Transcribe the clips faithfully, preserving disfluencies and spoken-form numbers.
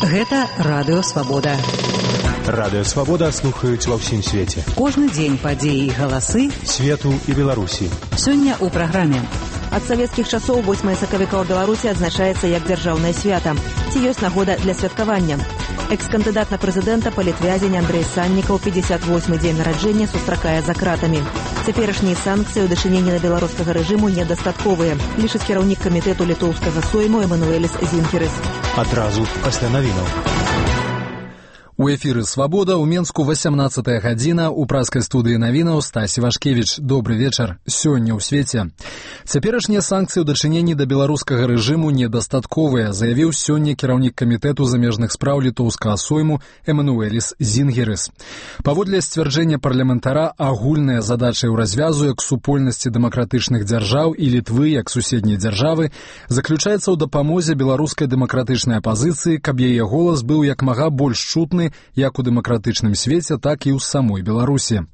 Гэта Радыё Свабода. Радыё Свабода слухаюць ва ўсім свеце. Кожны дзень падзеі і галасы свету і Беларусі. Сёння ў праграме. Ад савецкіх часоў восьмае сакавіка ў Беларусі адзначаецца як дзяржаўнае свята. Ці ёсць нагода для святкавання? Экс-кандыдат на прэзідэнта, палітвязень Андрэй Саннікаў пятьдесят восьмы дзень нараджэння сустракае за кратамі. Цяперашнія санкцыі ў дачыненні на беларускага рэжыму недастатковыя, лічыць кіраўнік камітэту літоўскага сойму Эмануэліс Зінхерыс. Адразу пасля навінаў. У эфіры «Свабода» ў Менску васямнаццатая гадзіна, у праскай студыі навінаў Стась Івашкевіч. Добры вечар. Сёння ў свеце. Цяперашнія санкцыі ў дачыненні да беларускага рэжыму недастатковыя, заявіў сёння кіраўнік камітэту замежных спраў літоўскага сойму Эмануэліс Зінгерыс. Паводле сцвярджэння парламентара, агульная задача ў развязу як супольнасці дэмакратычных дзяржаў і Літвы як суседняй дзяржавы заключаецца ў дапамозе беларускай дэмакратычнай апазіцыі, каб яе голас быў як мага больш чутны як у дэмакратычным свеце, так і ў самой Беларусі.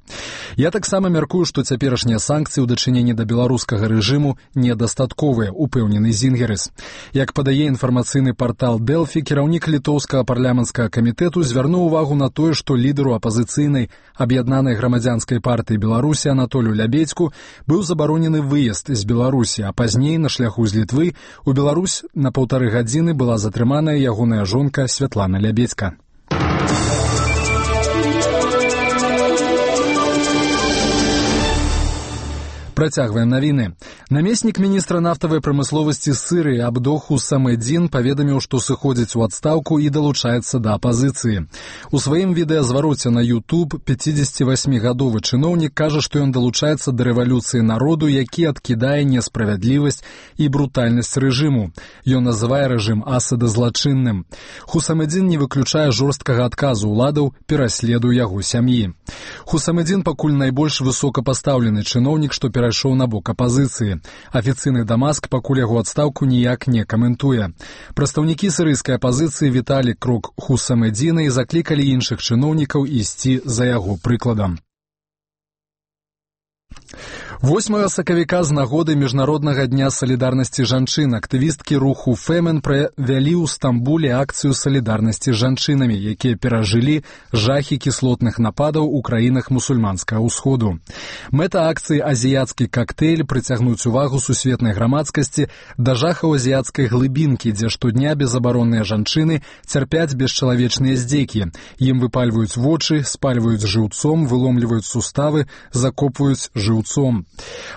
Я таксама мяркую, што цяперашнія санкцыі ў дачыненні да беларускага рэжыму недастатковыя, упэўнены Зінгерыс. Як падае інфармацыйны партал Дэлфі, кіраўнік літоўскага парламенцкага камітэту звярнуў увагу на тое, што лідару апазіцыйнай аб'яднанай грамадзянскай партыі Беларусі Анатолю Лябедзьку быў забаронены выезд з Беларусі, а пазней на шляху з Літвы у Беларусь на паўтары гадзіны была затрыманая ягоная жонка Святлана Лябедзька. Працягваем навіны. Намеснік міністра нафтавай прамысловасці Сырыі Абдох Хусамэдзін паведаміў, што сыходзіць у адстаўку і далучаецца да апазіцыі. У сваім відэазвароце на YouTube пяцідзесяцівасьмігадовы чыноўнік кажа, што ён далучаецца да рэвалюцыі народу, які адкідае несправядлівасць і брутальнасць рэжыму. Ён называе рэжым Асада злачынным. Хусамэдзін не выключае жорсткага адказу ўладаў пераследу яго сям'і. Хусамэдзін пакуль найбольш высокапастаўлены чыноўнік, што перайшоў на бок апазіцыі. Афіцыйны Дамаск пакуль яго адстаўку ніяк не каментуе. Прадстаўнікі сірыйскай апазіцыі віталі крок Хусамэдзіна і заклікалі іншых чыноўнікаў ісці за яго прыкладам. восьмага сакавіка з нагоды Міжнароднага дня салідарнасці жанчын актывісткі руху Фемен правялі ў Стамбуле акцыю салідарнасці з жанчынамі, якія перажылі жахі кіслотных нападаў у краінах мусульманскага ўсходу. Мэта акцыі «Азіяцкі кактэйль» прыцягнуць увагу сусветнай грамадскасці да жахаў азіяцкай глыбінкі, дзе штодня безабаронныя жанчыны цярпяць бесчалавечныя здзекі. Ім выпальваюць вочы, спальваюць жыўцом, выломліваюць суставы, закопваюць жыўцом.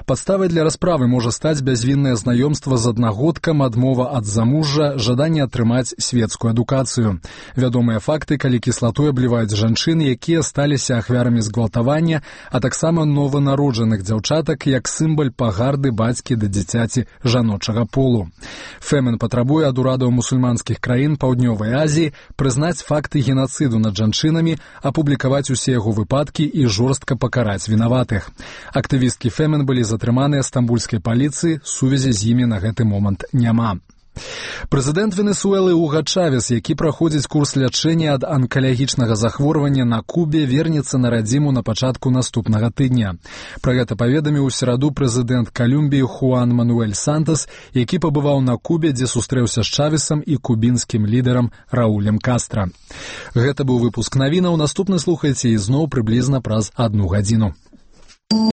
Падставай для расправы можа стаць бязвіннае знаёмства з аднагодкам, адмова ад замужжа, жаданне атрымаць светскую адукацыю. Вядомыя факты, калі кіслатой абліваюць жанчын, якія сталіся ахвярамі згвалтавання, а таксама нованароджаных дзяўчатак, як сімвал пагарды бацькі да дзіцяці жаночага полу. Фемен патрабуе ад урадаў мусульманскіх краін Паўднёвай Азіі прызнаць факты генацыду над жанчынамі, апублікаваць усе яго выпадкі і жорстка пакараць вінаватых. Актывісткі Фемен былі затрыманыя стамбульскай паліцыі, сувязі з імі на гэты момант няма. Прэзідэнт Венесуэлы Уга Чавес, які праходзіць курс лячэння ад анкалагічнага захворвання на Кубе, вернецца на радзіму на пачатку наступнага тыдня. Пра гэта паведаміў у сераду прэзідэнт Калумбіі Хуан Мануэль Сантас, які пабываў на Кубе, дзе сустрэўся з Чавесам і кубінскім лідарам Раулем Кастра. Гэта быў выпуск навінаў. Наступны слухайце ізноў прыблізна праз адну гадзіну.